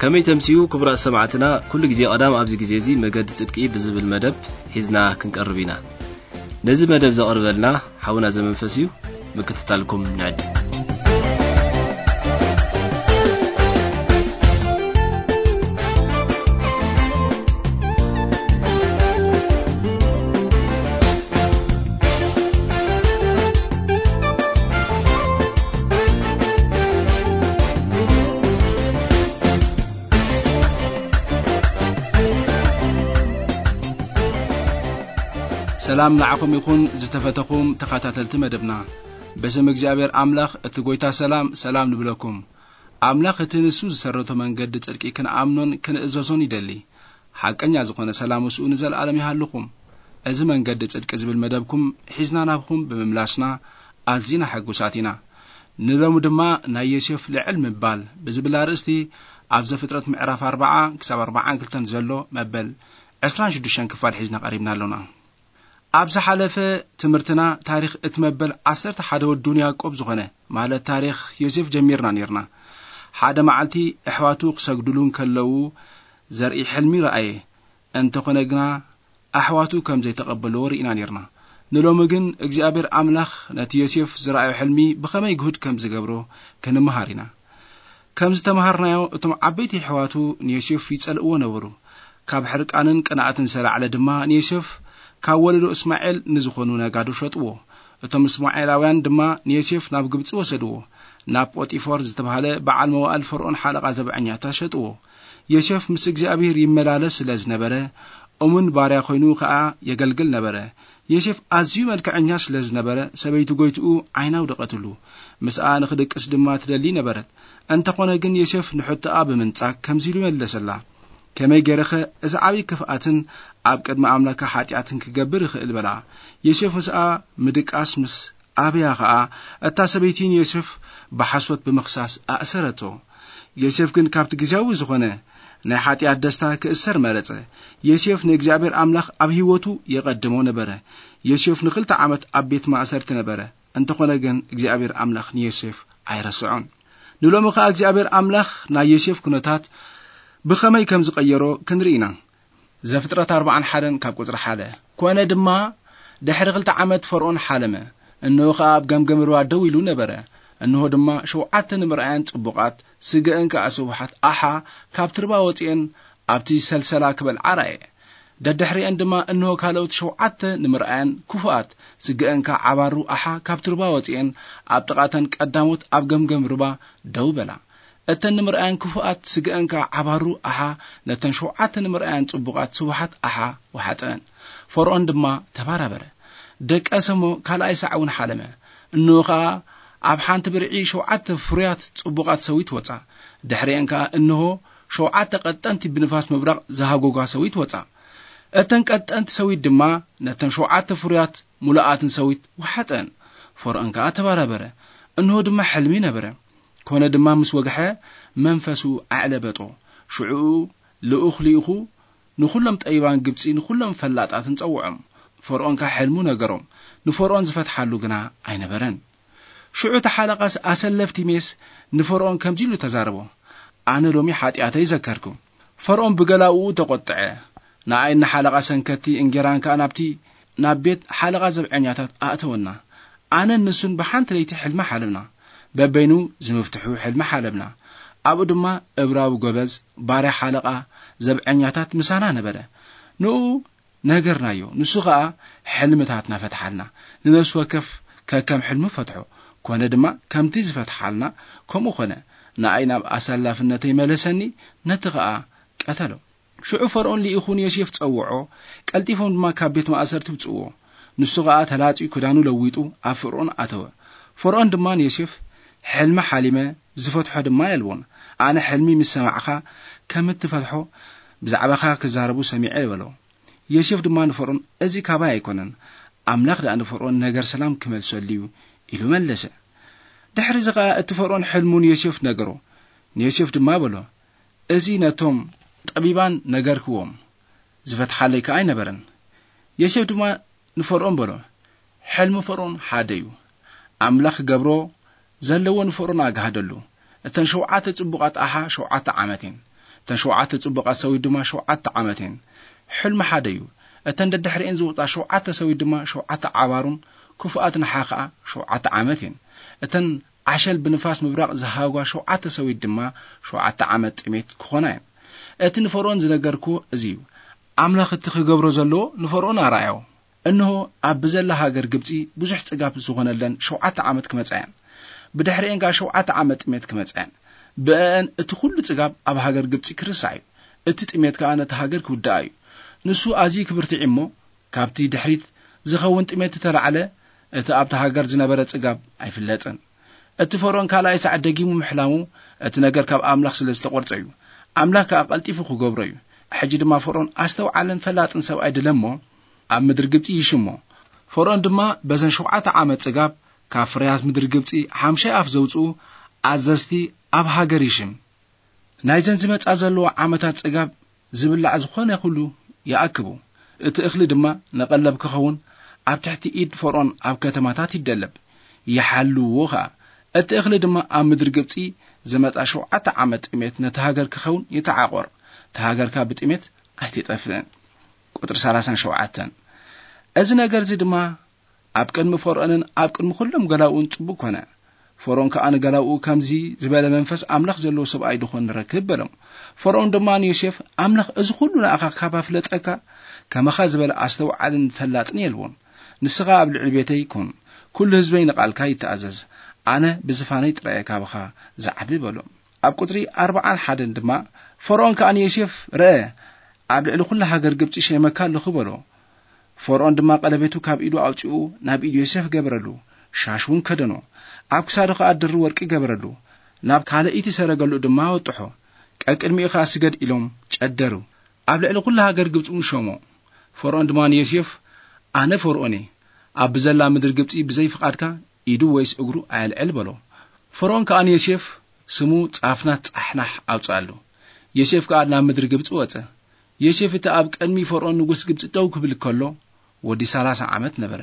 ከመይ ተምስዩ ክቡራት ሰማዕትና፣ ኩሉ ግዜ ቀዳም ኣብዚ ግዜ እዚ መገዲ ጽድቂ ብዝብል መደብ ሒዝና ክንቀርብ ኢና። ነዚ መደብ ዘቕርበልና ሓውና ዘመንፈስ እዩ። ምክትታልኩም ንዕድም። ሰላም ንዓኹም ይኹን ዝተፈተኹም ተኸታተልቲ መደብና። በስም እግዚኣብሔር ኣምላኽ እቲ ጎይታ ሰላም፣ ሰላም ንብለኩም። ኣምላኽ እቲ ንሱ ዝሰረቶ መንገዲ ጽድቂ ክንኣምኖን ክንእዘዞን ይደሊ። ሓቀኛ ዝኾነ ሰላም ምስኡ ንዘለኣለም ይሃልኹም። እዚ መንገዲ ጽድቂ ዝብል መደብኩም ሒዝና ናብኹም ብምምላስና ኣዚና ሕጉሳት ኢና። ንሎሚ ድማ ናይ ዮሴፍ ልዕል ምባል ብዝብል ኣርእስቲ ኣብ ዘፍጥረት ምዕራፍ ኣርብዓ ክሳብ ኣርብዓን ክልተን ዘሎ መበል ዕስራን ሽዱሽተን ክፋል ሒዝና ቀሪብና ኣሎና። ኣብ ዝሓለፈ ትምህርትና ታሪኽ እቲ መበል ዓሰርተ ሓደ ወዱን ያዕቆብ ዝኾነ፣ ማለት ታሪኽ ዮሴፍ ጀሚርና ኔርና። ሓደ መዓልቲ ኣሕዋቱ ክሰግዱሉ እንከለዉ ዘርኢ ሕልሚ ረኣየ። እንተኾነ ግና ኣሕዋቱ ከም ዘይተቐበልዎ ርኢና ኔርና። ንሎሚ ግን እግዚኣብሔር ኣምላኽ ነቲ ዮሴፍ ዝረኣዮ ሕልሚ ብኸመይ ግሁድ ከም ዝገብሮ ክንምሃር ኢና። ከም ዝተምሃርናዮ እቶም ዓበይቲ ኣሕዋቱ ንዮሴፍ ይጸልእዎ ነበሩ። ካብ ሕርቃንን ቅንኣትን ዝተላዕለ ድማ ንዮሴፍ ካብ ወለዶ እስማኤል ንዝኾኑ ነጋዶ ሸጥዎ። እቶም እስማኤላውያን ድማ ንዮሴፍ ናብ ግብጺ ወሰድዎ። ናብ ጶጢፎር ዝተባህለ በዓል መዋእል ፈርኦን ሓለቓ ዘብዐኛታት ሸጥዎ። ዮሴፍ ምስ እግዚኣብሔር ይመላለስ ስለ ዝነበረ፣ እሙን ባርያ ኮይኑ ኸኣ የገልግል ነበረ። ዮሴፍ ኣዝዩ መልክዐኛ ስለ ዝነበረ፣ ሰበይቲ ጎይትኡ ዓይና ኣውደቐትሉ። ምስኣ ንኽድቅስ ድማ ትደሊ ነበረት። እንተኾነ ግን ዮሴፍ ንሕቶኣ ብምንጻግ ከምዚ ኢሉ መለሰላ፣ "ከመይ ገይረኸ እዚ ዓብዪ ክፍኣትን ኣብ ቅድሚ ኣምላካ ሓጢኣትን ክገብር እኽእል?" በላ። ዮሴፍ ምስኣ ምድቃስ ምስ ኣበያ ኸኣ፣ እታ ሰበይቲ ንዮሴፍ ብሓሶት ብምኽሳስ ኣእሰረቶ። ዮሴፍ ግን ካብቲ ግዜያዊ ዝኾነ ናይ ሓጢኣት ደስታ ክእሰር መረጸ። ዮሴፍ ንእግዚኣብሔር ኣምላኽ ኣብ ህይወቱ የቐድሞ ነበረ። ዮሴፍ ንኽልተ ዓመት ኣብ ቤት ማእሰርቲ ነበረ። እንተኾነ ግን እግዚኣብሔር ኣምላኽ ንዮሴፍ ኣይረስዖን። ንሎሚ ኸኣ እግዚኣብሔር ኣምላኽ ናይ ዮሴፍ ኩነታት ብኸመይ ከም ዝቐየሮ ክንርኢ ኢና። ዘፍጥረት ኣርብዓን ሓደን ካብ ቁጽሪ ሓደ። ኮነ ድማ ድሕሪ ክልተ ዓመት ፈርኦን ሓለመ። እንሆ ኸኣ ኣብ ገምገም ሩባ ደው ኢሉ ነበረ። እንሆ ድማ ሸውዓተ ንምርኣየን ጽቡቓት፣ ስገአን ከኣ ስቡሓት ኣሓ ካብቲ ሩባ ወጺኤን ኣብቲ ሰልሰላ ክበልዓ ረኣየ። ደድሕሪአን ድማ እንሆ ካልኦት ሸውዓተ ንምርኣየን ክፉኣት፣ ስገአን ከኣ ዓባሩ ኣሓ ካብቲ ሩባ ወጺኤን ኣብ ጥቓተን ቀዳሞት ኣብ ገምገም ሩባ ደው በላ። እተን ንምርኣየን ክፉኣት ስግአን ከኣ ዓባሩ ኣሓ ነተን ሸውዓተ ንምርኣየን ጽቡቓት ስቡሓት ኣሓ ወሓጠን። ፈርኦን ድማ ተባራበረ። ደቀሰ እሞ ካልኣይ ሳዕ እውን ሓለመ። እንሆ ኸኣ ኣብ ሓንቲ ብርዒ ሸውዓተ ፍሩያት ጽቡቓት ሰዊት ወጻ። ድሕሪአን ከኣ እንሆ ሸውዓተ ቀጠንቲ ብንፋስ ምብራቕ ዝሃጎጓ ሰዊት ወጻ። እተን ቀጠንቲ ሰዊት ድማ ነተን ሸውዓተ ፍሩያት ምሉኣትን ሰዊት ወሓጠን። ፈርኦን ከኣ ተባራበረ። እንሆ ድማ ሕልሚ ነበረ። ኮነ ድማ ምስ ወግሐ መንፈሱ ኣዕለበጦ። ሽዑ ልኡኽ ልኢኹ ንኹሎም ጠቢባን ግብጺ ንኹሎም ፈላጣትን ጸውዖም። ፈርኦን ከኣ ሕልሙ ነገሮም። ንፈርኦን ዝፈትሓሉ ግና ኣይነበረን። ሽዑ እቲ ሓለቓ ኣሰለፍቲ ሜስ ንፈርኦን ከምዚ ኢሉ ተዛረቦ፣ "ኣነ ሎሚ ሓጢኣተይ ዘከርኩ።" ፈርኦን ብገላውኡ ተቖጥዐ። ንኣይን ንሓለቓ ሰንከቲ እንጌራን ከኣ ናብቲ ናብ ቤት ሓለቓ ዘብዐኛታት ኣእተወና። ኣነን ንሱን ብሓንቲ ለይቲ ሕልሚ ሓለምና። በበይኑ ዝምፍትሑ ሕልሚ ሓለምና። ኣብኡ ድማ እብራዊ ጎበዝ ባርያ ሓለቓ ዘብዐኛታት ምሳና ነበረ። ንኡ ነገርናዮ። ንሱ ኸኣ ሕልምታትና ፈትሓልና። ንነፍሲ ወከፍ ከከም ሕልሙ ፈትሖ። ኮነ ድማ ከምቲ ዝፈትሓልና ከምኡ ኾነ። ንኣይ ናብ ኣሳላፍነተይ መለሰኒ፣ ነቲ ኸኣ ቀተሎ። ሽዑ ፈርኦን ልኢኹ ንዮሴፍ ጸውዖ፣ ቀልጢፎም ድማ ካብ ቤት ማእሰርቲ ውጽእዎ። ንሱ ኸኣ ተላጺዩ ክዳኑ ለዊጡ ኣብ ፈርኦን ኣተወ። ፈርኦን ድማ ንዮሴፍ፣ "ሕልሚ ሓሊመ፣ ዝፈትሖ ድማ የልቦን። ኣነ ሕልሚ ምስ ሰማዕካ ከም እትፈትሖ ብዛዕባኻ ክዛረቡ ሰሚዐ" በሎ። ዮሴፍ ድማ ንፈርኦን፣ "እዚ ካባይ ኣይኮነን፣ ኣምላኽ ደኣ ንፈርኦን ነገር ሰላም ክመልሰሉ እዩ" ኢሉ መለሰ። ድሕሪ እዚ ኸኣ እቲ ፈርኦን ሕልሙ ንዮሴፍ ነገሮ። ንዮሴፍ ድማ በሎ፣ "እዚ ነቶም ጠቢባን ነገርክዎም፣ ዝፈትሓለይ ከኣ ኣይነበረን።" ዮሴፍ ድማ ንፈርኦን በሎ፣ "ሕልሚ ፈርኦን ሓደ እዩ። ኣምላኽ ክገብሮ ዘለዎ ንፈርኦን ኣግሃደሉ። እተን ሸውዓተ ጽቡቓት ኣሓ ሸውዓተ ዓመት እየን። እተን ሸውዓተ ጽቡቓት ሰዊት ድማ ሸውዓተ ዓመት እየን። ሕልሚ ሓደ እዩ። እተን ደድሕሪኤን ዝወጻ ሸውዓተ ሰዊት ድማ ሸውዓተ ዓባሩን ክፉኣት ንሓ ኸኣ ሸውዓተ ዓመት እየን። እተን ዓሸል ብንፋስ ምብራቕ ዝሃጓ ሸውዓተ ሰዊት ድማ ሸውዓተ ዓመት ጥሜት ክኾና እየን። እቲ ንፈርኦን ዝነገርኩ እዚ እዩ። ኣምላኽ እቲ ክገብሮ ዘለዎ ንፈርኦን ኣርኣዮ። እንሆ፣ ኣብ ብዘላ ሃገር ግብጺ ብዙሕ ጽጋብ ዝኾነለን ሸውዓተ ዓመት ክመጻ እየን። ብድሕሪኤን ከኣ ሸውዓተ ዓመት ጥሜት ክመጻ እየን። ብእአን እቲ ኩሉ ጽጋብ ኣብ ሃገር ግብጺ ክርሳዕ እዩ። እቲ ጥሜት ከኣ ነቲ ሃገር ክውድኣ እዩ። ንሱ ኣዝዩ ክብርትዕ እሞ፣ ካብቲ ድሕሪት ዝኸውን ጥሜት እተላዕለ፣ እቲ ኣብቲ ሃገር ዝነበረ ጽጋብ ኣይፍለጥን። እቲ ፈርኦን ካልኣይ ሳዕ ደጊሙ ምሕላሙ፣ እቲ ነገር ካብ ኣምላኽ ስለ ዝተቖርጸ እዩ። ኣምላኽ ከኣ ቀልጢፉ ክገብሮ እዩ። ሕጂ ድማ ፈርኦን ኣስተውዓልን ፈላጥን ሰብኣይ ድለ እሞ፣ ኣብ ምድሪ ግብጺ ይሽሞ። ፈርኦን ድማ በዘን ሸውዓተ ዓመት ጽጋብ፣ ካብ ፍርያት ምድሪ ግብጺ ሓምሻይ ኣፍ ዘውጽኡ ኣዘዝቲ ኣብ ሃገር ይሽም። ናይዘን ዝመጻ ዘለዋ ዓመታት ጽጋብ ዝብላዕ ዝኾነ ኩሉ ይኣክቡ። እቲ እኽሊ ድማ ንቐለብ ክኸውን ኣብ ትሕቲ ኢድ ፈርኦን ኣብ ከተማታት ይደለብ፣ ይሓልዎ ኸኣ። እቲ እኽሊ ድማ ኣብ ምድሪ ግብጺ ዝመጻ ሸውዓተ ዓመት ጥሜት ነቲ ሃገር ክኸውን ይተዓቖር። እታ ሃገር ከኣ ብጥሜት ኣይትጠፍእን። ቁጽሪ ሰላሳን ሸውዓተን። እዚ ነገር እዚ ድማ ኣብ ቅድሚ ፈርኦንን ኣብ ቅድሚ ኩሎም ገላውኡን ጽቡቕ ኮነ። ፈርኦን ከኣ ንገላውኡ፣ "ከምዚ ዝበለ መንፈስ ኣምላኽ ዘለዎ ሰብኣይ ድኾን ንረክብ?" በሎም። ፈርኦን ድማ ንዮሴፍ፣ "ኣምላኽ እዚ ኩሉ ንኣኻ ካብ ኣፍለጠካ፣ ከማኻ ዝበለ ኣስተውዓልን ፈላጥን የልቦን። ንስኻ ኣብ ልዕሊ ቤተይ ኩን፣ ኩሉ ህዝበይ ንቓልካ ይተኣዘዝ። ኣነ ብዝፋነይ ጥራይ እየ ካባኻ ዝዓቢ?" በሎ። ኣብ ቁጽሪ ኣርብዓን ሓደን ድማ፣ ፈርኦን ከኣ ንዮሴፍ፣ "ርአ፣ ኣብ ልዕሊ ኩላ ሃገር ግብጺ ሸይመካ ኣለኹ" በሎ። ፈርኦን ድማ ቀለቤቱ ካብ ኢዱ ኣውጺኡ ናብ ኢድ ዮሴፍ ገበረሉ፣ ሻሽ እውን ከደኖ። ኣብ ክሳዱ ኸኣ ድሪ ወርቂ ገበረሉ። ናብ ካልኣይቲ ሰረገሉ ድማ ኣወጥሖ። ቀቅድሚኡ ኸኣ ስገድ ኢሎም ጨደሩ። ኣብ ልዕሊ ኩላ ሃገር ግብጺ እውን ሸሞ። ፈርኦን ድማ ንዮሴፍ፣ "ኣነ ፈርኦን እየ። ኣብ ብዘላ ምድሪ ግብጺ ብዘይ ፍቓድካ ኢዱ ወይስ እግሩ ኣየልዕል" በሎ። ፈርኦን ከኣ ንዮሴፍ ስሙ ጻፍናት ጻሕናሕ ኣውጽኣሉ። ዮሴፍ ከኣ ናብ ምድሪ ግብጺ ወጸ። ዮሴፍ እቲ ኣብ ቅድሚ ፈርኦን ንጉስ ግብጺ ደው ክብል ከሎ፣ ወዲ ሰላሳ ዓመት ነበረ።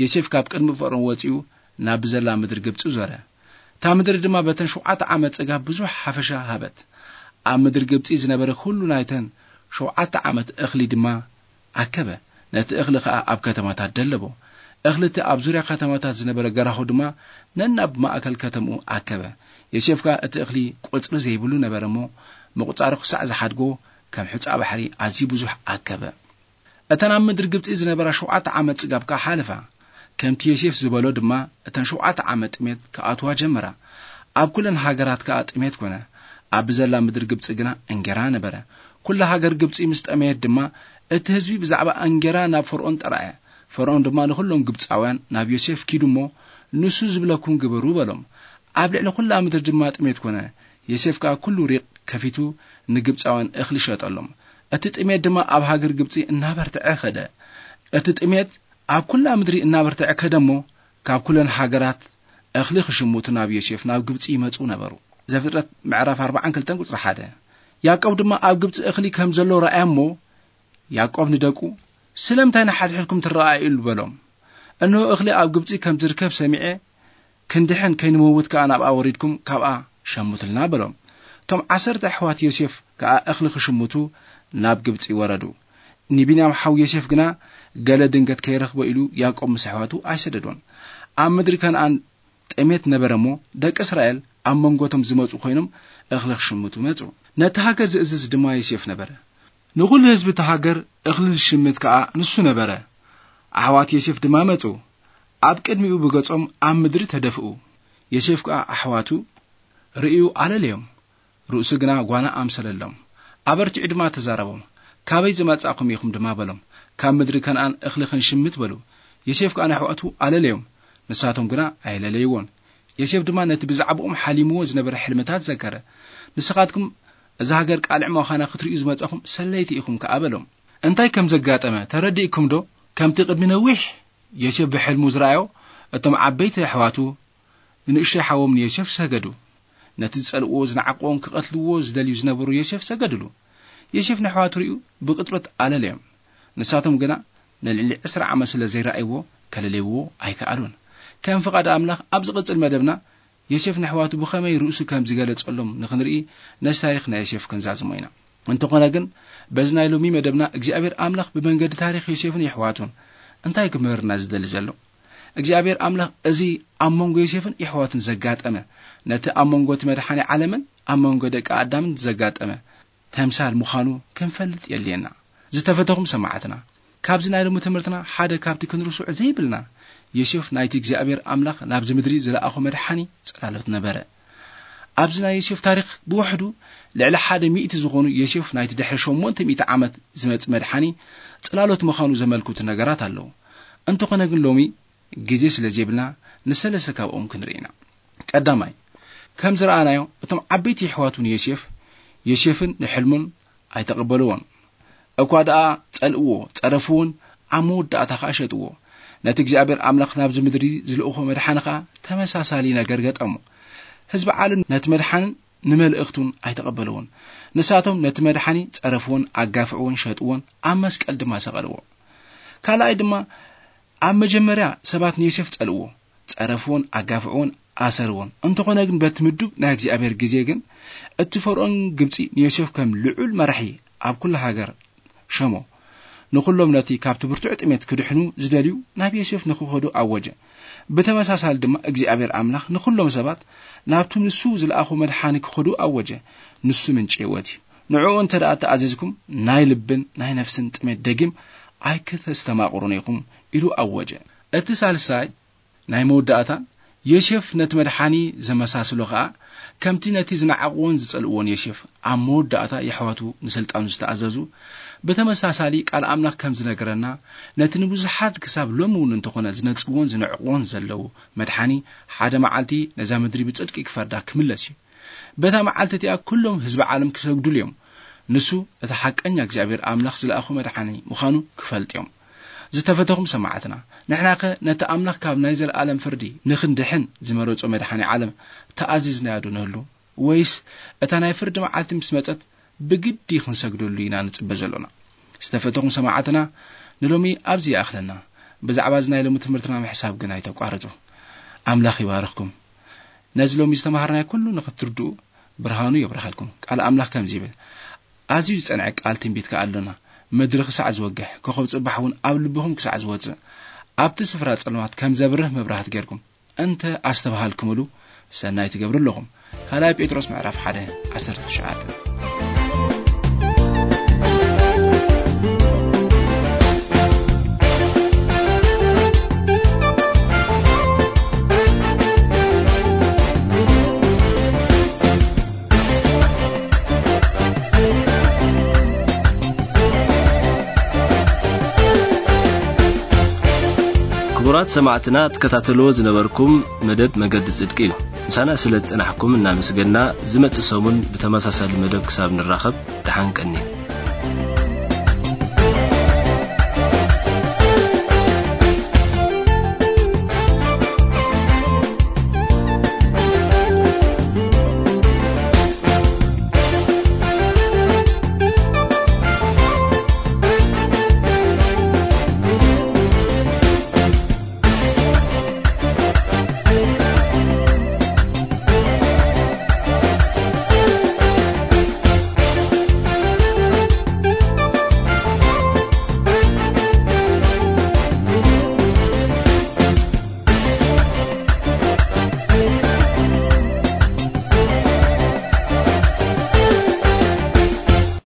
ዮሴፍ ካብ ቅድሚ ፈርኦን ወጺኡ ናብ ብዘላ ምድሪ ግብጺ ዞረ። እታ ምድሪ ድማ በተን ሸውዓተ ዓመት ጽጋብ ብዙሕ ሓፈሻ ሃበት። ኣብ ምድሪ ግብጺ ዝነበረ ኩሉ ናይተን ሸውዓተ ዓመት እኽሊ ድማ ኣከበ። ነቲ እኽሊ ኸኣ ኣብ ከተማታት ደለቦ። እኽሊ እቲ ኣብ ዙርያ ከተማታት ዝነበረ ገራሁ ድማ ነናብ ማእከል ከተምኡ ኣከበ። ዮሴፍ ከኣ እቲ እኽሊ ቁጽሪ ዘይብሉ ነበረ እሞ፣ ምቑጻሩ ክሳዕ ዝሓድጎ ከም ሑጻ ባሕሪ ኣዝዩ ብዙሕ ኣከበ። እተን ኣብ ምድሪ ግብጺ ዝነበራ ሸውዓተ ዓመት ጽጋብ ከኣ ሓለፋ። ከምቲ ዮሴፍ ዝበሎ ድማ እተን ሸውዓተ ዓመት ጥሜት ክኣትዋ ጀመራ። ኣብ ኩለን ሃገራት ከኣ ጥሜት ኮነ። ኣብ ብዘላ ምድሪ ግብጺ ግና እንጌራ ነበረ። ኩላ ሃገር ግብጺ ምስ ጠመየት ድማ እቲ ህዝቢ ብዛዕባ እንጌራ ናብ ፈርኦን ጠርዐ። ፈርኦን ድማ ንኹሎም ግብጻውያን ናብ ዮሴፍ ኪዱ እሞ ንሱ ዝብለኩም ግበሩ በሎም። ኣብ ልዕሊ ኩላ ምድሪ ድማ ጥሜት ኮነ። ዮሴፍ ከኣ ኩሉ ሪቕ ከፊቱ ንግብጻውያን እኽሊ ሸጠሎም። እቲ ጥሜት ድማ ኣብ ሃገር ግብጺ እናበርትዐ ኸደ። እቲ ጥሜት ኣብ ኩላ ምድሪ እናበርትዐ ከደ እሞ ካብ ኩለን ሃገራት እኽሊ ክሽምቱ ናብ ዮሴፍ ናብ ግብጺ ይመጹ ነበሩ። ዘፍጥረት ምዕራፍ ኣርብዓን ክልተን ቁጽሪ ሓደ። ያዕቆብ ድማ ኣብ ግብጺ እኽሊ ከም ዘሎ ረኣየ እሞ፣ ያዕቆብ ንደቁ፣ "ስለምንታይ ንሓድሕድኩም ትረኣእዩ?" በሎም። "እንሆ እኽሊ ኣብ ግብጺ ከም ዝርከብ ሰሚዐ፣ ክንድሕን ከይንመውት ከኣ ናብኣ ወሪድኩም ካብኣ ሸምቱልና" በሎም። እቶም ዓሰርተ ኣሕዋት ዮሴፍ ከኣ እኽሊ ክሽምቱ ናብ ግብጺ ወረዱ። ንቢንያም ሓው ዮሴፍ ግና ገለ ድንገት ከይረኽቦ ኢሉ ያዕቆብ ምስ ኣሕዋቱ ኣይሰደዶን። ኣብ ምድሪ ከነኣን ጥሜት ነበረ እሞ፣ ደቂ እስራኤል ኣብ መንጎቶም ዝመጹ ኮይኖም እኽሊ ክሽምቱ መጹ። ነቲ ሃገር ዝእዝዝ ድማ ዮሴፍ ነበረ። ንኹሉ ህዝቢ እቲ ሃገር እኽሊ ዝሽምት ከኣ ንሱ ነበረ። ኣሕዋት ዮሴፍ ድማ መጹ። ኣብ ቅድሚኡ ብገጾም ኣብ ምድሪ ተደፍኡ። ዮሴፍ ከኣ ኣሕዋቱ ርእዩ ኣለለዮም። ርእሱ ግና ጓና ኣምሰለሎም። ኣበርቲዑ ድማ ተዛረቦም። "ካበይ ዝመጻእኩም ኢኹም?" ድማ በሎም። "ካብ ምድሪ ከነኣን እኽሊ ክንሽምት" በሉ። ዮሴፍ ከኣ ንኣሕዋቱ ኣለለዮም። ንሳቶም ግና ኣየለለይዎን። ዮሴፍ ድማ ነቲ ብዛዕባኦም ሓሊምዎ ዝነበረ ሕልምታት ዘከረ። "ንስኻትኩም እዛ ሃገር ቃልዕ ምዃና ክትርእዩ ዝመጻኹም ሰለይቲ ኢኹም ከኣ" በሎም። እንታይ ከም ዘጋጠመ ተረዲእኩምዶ? ከምቲ ቅድሚ ነዊሕ ዮሴፍ ብሕልሙ ዝረኣዮ፣ እቶም ዓበይቲ ኣሕዋቱ ንእሽቶይ ሓዎም ንዮሴፍ ሰገዱ። ነቲ ዝጸልእዎ፣ ዝነዓቕዎን ክቐትልዎ ዝደልዩ ዝነበሩ ዮሴፍ ሰገድሉ። ዮሴፍ ንኣሕዋቱ ርእዩ ብቕጽበት ኣለለዮም። ንሳቶም ግና ንልዕሊ ዕስራ ዓመት ስለ ዘይረኣይዎ፣ ከለልይዎ ኣይከኣሉን። ከም ፍቓድ ኣምላኽ፣ ኣብ ዝቕጽል መደብና ዮሴፍ ንኣሕዋቱ ብኸመይ ርእሱ ከም ዝገለጸሎም ንኽንርኢ፣ ነዚ ታሪኽ ናይ ዮሴፍ ክንዛዝሞ ኢና። እንተኾነ ግን፣ በዚ ናይ ሎሚ መደብና እግዚኣብሔር ኣምላኽ ብመንገዲ ታሪኽ ዮሴፍን የሕዋቱን እንታይ ክምህርና ዝደሊ ዘሎ? እግዚኣብሔር ኣምላኽ እዚ ኣብ መንጎ ዮሴፍን የሕዋቱን ዘጋጠመ፣ ነቲ ኣብ መንጎ እቲ መድሓኒ ዓለምን ኣብ መንጎ ደቂ ኣዳምን ዘጋጠመ ተምሳል ምዃኑ ክንፈልጥ የድልየና። ዝተፈተኹም ሰማዕትና፣ ካብዚ ናይ ሎሚ ትምህርትና ሓደ ካብቲ ክንርስዖ ዘይብልና፣ ዮሴፍ ናይቲ እግዚኣብሔር ኣምላኽ ናብዚ ምድሪ ዝለኣኾ መድሓኒ ጽላሎት ነበረ። ኣብዚ ናይ ዮሴፍ ታሪኽ ብውሕዱ ልዕሊ ሓደ ሚእቲ ዝኾኑ፣ ዮሴፍ ናይቲ ድሕሪ ሸሞንተ ሚእቲ ዓመት ዝመጽእ መድሓኒ ጽላሎት ምዃኑ ዘመልክቱ ነገራት ኣለዉ። እንተኾነ ግን ሎሚ ግዜ ስለ ዘይብልና ንሰለስተ ካብኦም ክንርኢ ኢና። ቀዳማይ፣ ከም ዝረኣናዮ እቶም ዓበይቲ የሕዋቱ ንዮሴፍ፣ ዮሴፍን ንሕልሙን ኣይተቐበልዎን። እኳ ደኣ ጸልእዎ፣ ጸረፍዎን ኣብ መወዳእታ ኸኣ ሸጥዎ። ነቲ እግዚኣብሔር ኣምላኽ ናብዚ ምድሪ ዝልእኾ መድሓኒ ኸኣ ተመሳሳሊ ነገር ገጠሞ። ህዝቢ ዓለም ነቲ መድሓንን ንመልእኽቱን ኣይተቐበልዎን። ንሳቶም ነቲ መድሓኒ ጸረፍዎን ኣጋፍዕዎን ሸጥዎን ኣብ መስቀል ድማ ሰቐልዎ። ካልኣይ ድማ ኣብ መጀመርያ ሰባት ንዮሴፍ ጸልእዎ፣ ጸረፍዎን ኣጋፍዕዎን ኣሰርዎን። እንተኾነ ግን በቲ ምዱብ ናይ እግዚኣብሔር ግዜ ግን እቲ ፈርኦን ግብጺ ንዮሴፍ ከም ልዑል መራሒ ኣብ ኩሉ ሃገር ሸሞ። ንኹሎም ነቲ ካብቲ ብርቱዕ ጥሜት ክድሕኑ ዝደልዩ ናብ ዮሴፍ ንኽኸዱ ኣወጀ። ብተመሳሳሊ ድማ እግዚኣብሔር ኣምላኽ ንኹሎም ሰባት ናብቲ ንሱ ዝለኣኹ መድሓኒ ክኸዱ ኣወጀ። ንሱ ምንጪ ህይወት እዩ። ንዕኡ እንተ ደኣ ተኣዚዝኩም ናይ ልብን ናይ ነፍስን ጥሜት ደጊም ኣይክተስተማቕሩን ኢኹም ኢሉ ኣወጀ። እቲ ሳልሳይ ናይ መወዳእታ ዮሴፍ ነቲ መድሓኒ ዘመሳስሎ ኸኣ ከምቲ ነቲ ዝነዓቕዎን ዝጸልእዎን ዮሴፍ ኣብ መወዳእታ የሕዋቱ ንስልጣኑ ዝተኣዘዙ ብተመሳሳሊ ቃል ኣምላኽ ከም ዝነገረና ነቲ ንብዙሓት ክሳብ ሎሚ እውን እንተኾነ ዝነጽግዎን ዝንዕቕዎን ዘለዉ መድሓኒ ሓደ መዓልቲ ነዛ ምድሪ ብጽድቂ ክፈርዳ ክምለስ እዩ። በታ መዓልቲ እቲኣ ኩሎም ህዝቢ ዓለም ክሰግዱሉ እዮም። ንሱ እቲ ሓቀኛ እግዚኣብሔር ኣምላኽ ዝለኣኹ መድሓኒ ምዃኑ ክፈልጥ እዮም። ዝተፈተኹም ሰማዕትና፣ ንሕናኸ ነቲ ኣምላኽ ካብ ናይ ዘለኣለም ፍርዲ ንኽንድሕን ዝመረጾ መድሓኒ ዓለም ተኣዚዝናዮ ዶ ንህሉ? ወይስ እታ ናይ ፍርዲ መዓልቲ ምስ መጸት ብግዲ ክንሰግደሉ ኢና ንጽበ ዘሎና? ዝተፈተኹም ሰማዕትና፣ ንሎሚ ኣብዚ ይኣኽለና። ብዛዕባ እዚ ናይ ሎሚ ትምህርትና ምሕሳብ ግን ኣይተቋርጹ። ኣምላኽ ይባርኽኩም። ነዚ ሎሚ ዝተማሃርናዮ ኩሉ ንኽትርድኡ ብርሃኑ የብርሃልኩም። ቃል ኣምላኽ ከምዚ ይብል፣ ኣዝዩ ዝጸንዐ ቃል ትንቢት ከኣ ኣሎና። ምድሪ ክሳዕ ዝወግሕ፣ ኮኸብ ጽባሕ እውን ኣብ ልብኹም ክሳዕ ዝወጽእ፣ ኣብቲ ስፍራ ጸልማት ከም ዘብርህ መብራህቲ ጌርኩም እንተ ኣስተብሃልኩምሉ፣ ሰናይ ትገብሩ ኣለኹም። ካልኣይ ጴጥሮስ ምዕራፍ ሓደ ዓሰርተ ትሽዓተ። ክቡራት ሰማዕትና፣ ትከታተልዎ ዝነበርኩም መደብ መገዲ ጽድቂ እዩ። ምሳና ስለ ዝጸናሕኩም እናመስገና፣ ዝመጽእ ሰሙን ብተመሳሳሊ መደብ ክሳብ ንራኸብ፣ ደሓን ቀንዩ።